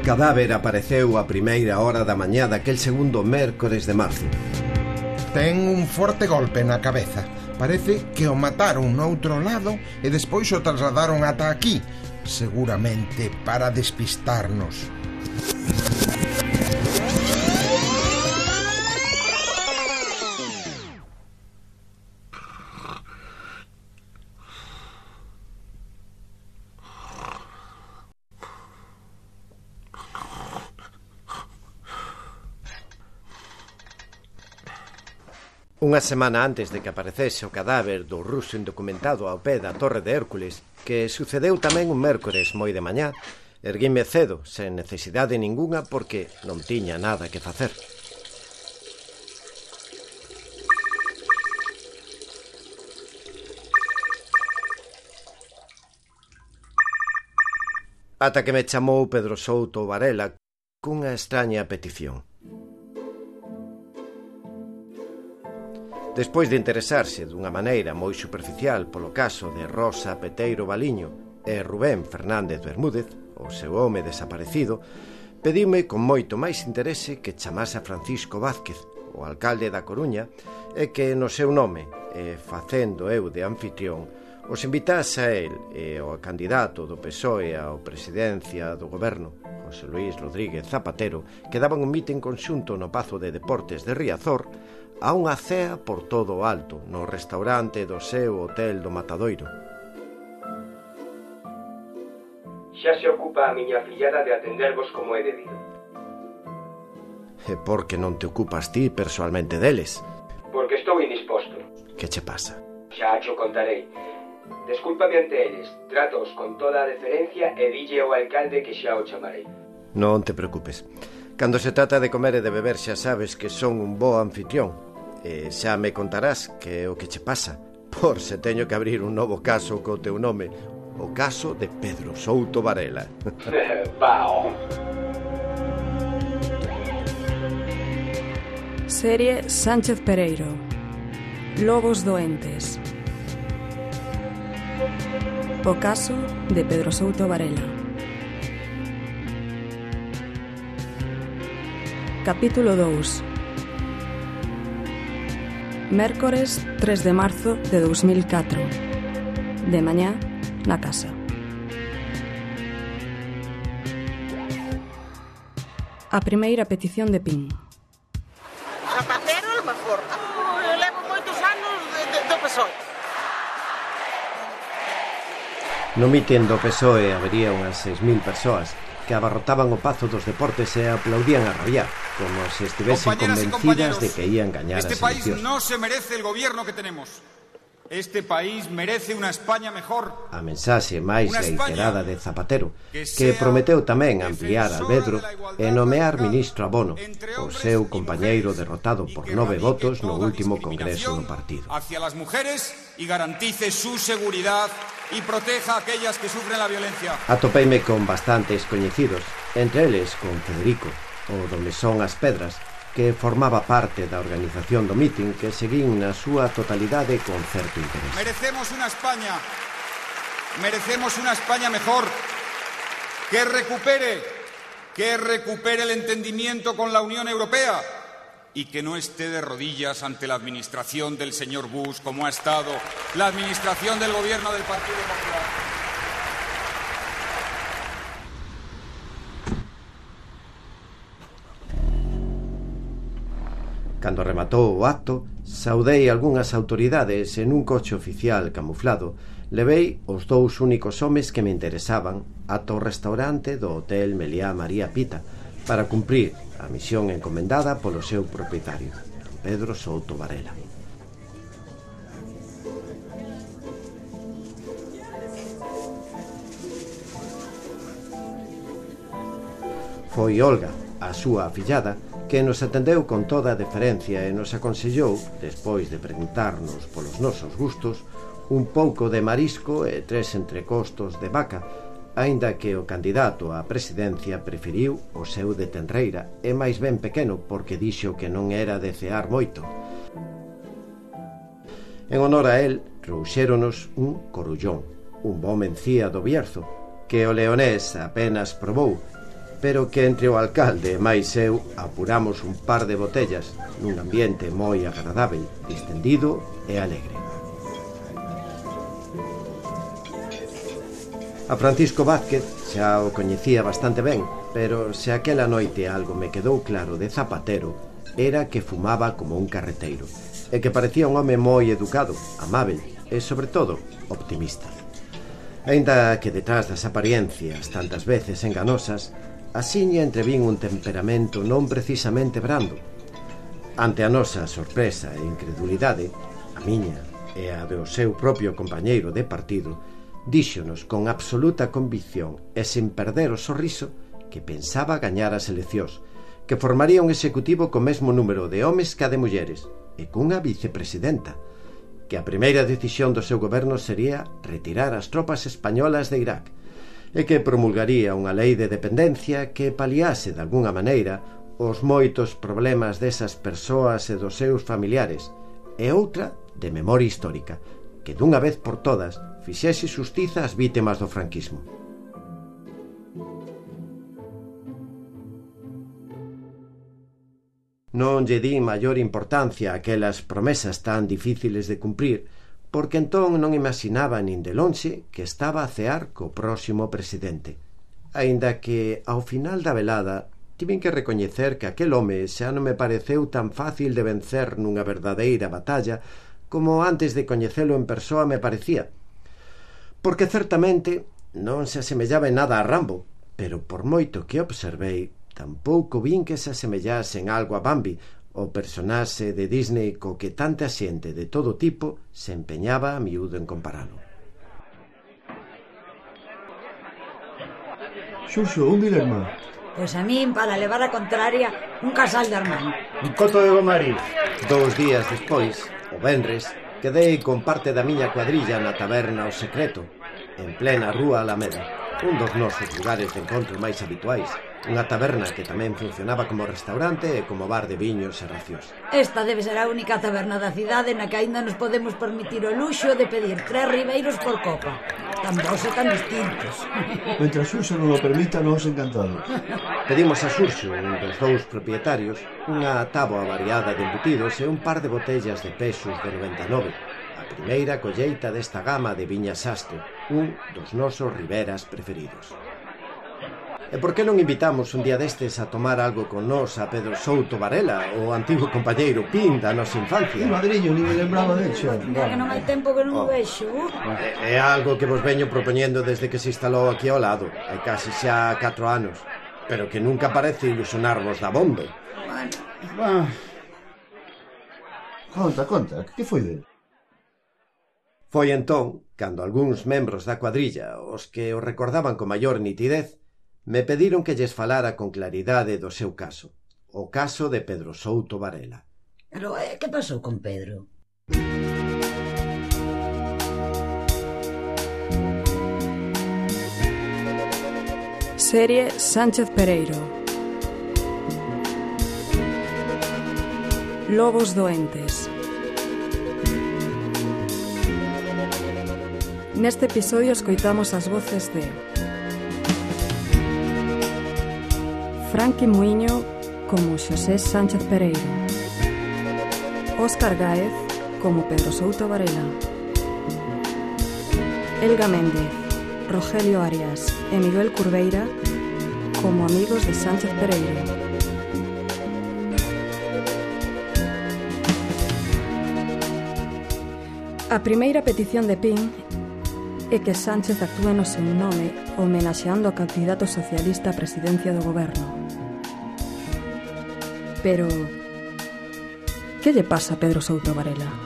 cadáver apareceu a primeira hora da mañá daquel segundo mércores de marzo. Ten un forte golpe na cabeza. Parece que o mataron no outro lado e despois o trasladaron ata aquí, seguramente para despistarnos. Unha semana antes de que aparecese o cadáver do ruso indocumentado ao pé da Torre de Hércules, que sucedeu tamén un mércores moi de mañá, erguime cedo, sen necesidade ningunha, porque non tiña nada que facer. Ata que me chamou Pedro Souto Varela cunha extraña petición. Despois de interesarse dunha maneira moi superficial polo caso de Rosa Peteiro Baliño e Rubén Fernández Bermúdez, o seu home desaparecido, pediume con moito máis interese que chamase a Francisco Vázquez, o alcalde da Coruña, e que no seu nome, e facendo eu de anfitrión, os invitase a el e ao candidato do PSOE ao presidencia do goberno, José Luís Rodríguez Zapatero, que daban un mitin conxunto no Pazo de Deportes de Riazor, a unha cea por todo o alto no restaurante do seu hotel do Matadoiro. Xa se ocupa a miña fillada de atendervos como é debido. E por que non te ocupas ti persoalmente deles? Porque estou indisposto. Que che pasa? Xa cho contarei. Descúlpame ante eles, tratos con toda a deferencia e dille ao alcalde que xa o chamarei. Non te preocupes. Cando se trata de comer e de beber xa sabes que son un bo anfitrión. E xa me contarás que é o que che pasa, por se teño que abrir un novo caso co teu nome, o caso de Pedro Souto Varela. Vao. Serie Sánchez Pereiro. Lobos doentes. O caso de Pedro Souto Varela. Capítulo 2. Mércores 3 de marzo de 2004. De mañá, na casa. A primeira petición de Pin. Zapatero, a lo mejor. Levo moitos anos do PSOE. No mitin do PSOE habería unhas 6.000 persoas que abarrotaban o Pazo dos Deportes e aplaudían a rabiar, como se estivesen convencidas de que ían gañar as eleccións. Este país no se merece el gobierno que tenemos. Este país merece unha España mejor. A mensaxe máis reiterada de Zapatero, que prometeu tamén ampliar Albedro e nomear ministro Abono, o seu compañeiro derrotado por 9 votos no último congreso do partido. Hacia las mujeres y garantice su seguridad y proteja a aquellas que sufren la violencia. Atopeime con bastantes coñecidos, entre eles con Federico, o do Mesón As Pedras, que formaba parte da organización do mitin que seguín na súa totalidade con certo interés. Merecemos una España mejor, que recupere el entendimiento con la Unión Europea y que no esté de rodillas ante la administración del señor Bush, como ha estado la administración del gobierno del Partido Popular. Cando rematou o acto, saudei algunhas autoridades e nun coche oficial camuflado levei os dous únicos homes que me interesaban ata o restaurante do Hotel Meliá María Pita para cumprir a misión encomendada polo seu propietario, Pedro Souto Varela. Foi Olga, a súa afillada, que nos atendeu con toda a deferencia e nos aconsellou, despois de preguntarnos polos nosos gustos, un pouco de marisco e 3 entrecostos de vaca, aínda que o candidato á presidencia preferiu o seu de tenreira e máis ben pequeno porque dixo que non era de cear moito. En honor a él, trouxéronos un corullón, un bo mencía do Bierzo, que o leonés apenas probou, pero que entre o alcalde e máis eu apuramos un par de botellas nun ambiente moi agradável, distendido e alegre. A Francisco Vázquez xa o coñecía bastante ben, pero se aquela noite algo me quedou claro de Zapatero era que fumaba como un carreteiro e que parecía un home moi educado, amável e, sobre todo, optimista. Aínda que detrás das apariencias tantas veces enganosas, asiña entrevín un temperamento non precisamente brando. Ante a nosa sorpresa e incredulidade, a miña e a do seu propio compañeiro de partido, díxonos con absoluta convicción e sen perder o sorriso que pensaba gañar as eleccións, que formaría un executivo co mesmo número de homes que a de mulleres e cunha vicepresidenta, que a primeira decisión do seu goberno sería retirar as tropas españolas de Irak e que promulgaría unha lei de dependencia que paliase de algunha maneira os moitos problemas desas persoas e dos seus familiares, e outra de memoria histórica, que dunha vez por todas fixese xustiza ás vítimas do franquismo. Non lle di maior importancia a aquelas promesas tan difíciles de cumprir, porque entón non imaginaba nin de lonxe que estaba a cear co próximo presidente. Aínda que, ao final da velada, tiven que recoñecer que aquel home xa non me pareceu tan fácil de vencer nunha verdadeira batalla como antes de coñecelo en persoa me parecía. Porque certamente non se asemellaba en nada a Rambo, pero por moito que observei, tampouco vin que se asemellase en algo a Bambi, o personaxe de Disney co que tanta xente de todo tipo se empeñaba a miúdo en comparalo. Xurxo, un Vilerma. Pois a min, para levar a contraria, un casal de Armán. Un coto de Gomari. 2 días despois, o venres, quedei con parte da miña cuadrilla na taberna O Secreto, en plena rúa Alameda, un dos nosos lugares de encontro máis habituais, unha taberna que tamén funcionaba como restaurante e como bar de viños e racións. Esta debe ser a única taberna da cidade na que aínda nos podemos permitir o luxo de pedir 3 ribeiros por copa. Tan bons e tan distintos. Mentre Xurxo non o permita, nos encantados. Pedimos a Xurxo, un dos 2 propietarios, unha táboa variada de embutidos e un par de botellas de Pesus de 99, a primeira colleita desta gama de viñas Sastre, un dos nosos riberas preferidos. E por que non invitamos un día destes a tomar algo con nós a Pedro Souto Varela, o antigo compañeiro Pin da nosa infancia? Madriño, ni me lembraba de xa. Mira que non hai tempo que non o vexo. É algo que vos veño propoñendo desde que se instalou aquí ao lado, hai casi xa 4 anos, pero que nunca parece ilusionarvos da bomba. Conta, que foi del? Foi entón, cando algúns membros da cuadrilla, os que o recordaban con maior nitidez, me pediron que lles falara con claridade do seu caso, o caso de Pedro Souto Varela. Pero, que pasou con Pedro? Serie Sánchez Pereiro. Lobos doentes. Neste episodio escoitamos as voces de Franqui Muiño como Xosé Sánchez Pereiro, Óscar Gáez como Pedro Souto Varela, Elga Méndez, Rogelio Arias e Miguel Curveira como amigos de Sánchez Pereiro. A primeira petición de Pin é que Sánchez actúe no seu nome homenaxeando ao candidato socialista á presidencia do goberno. Pero, que lle pasa a Pedro Souto Varela?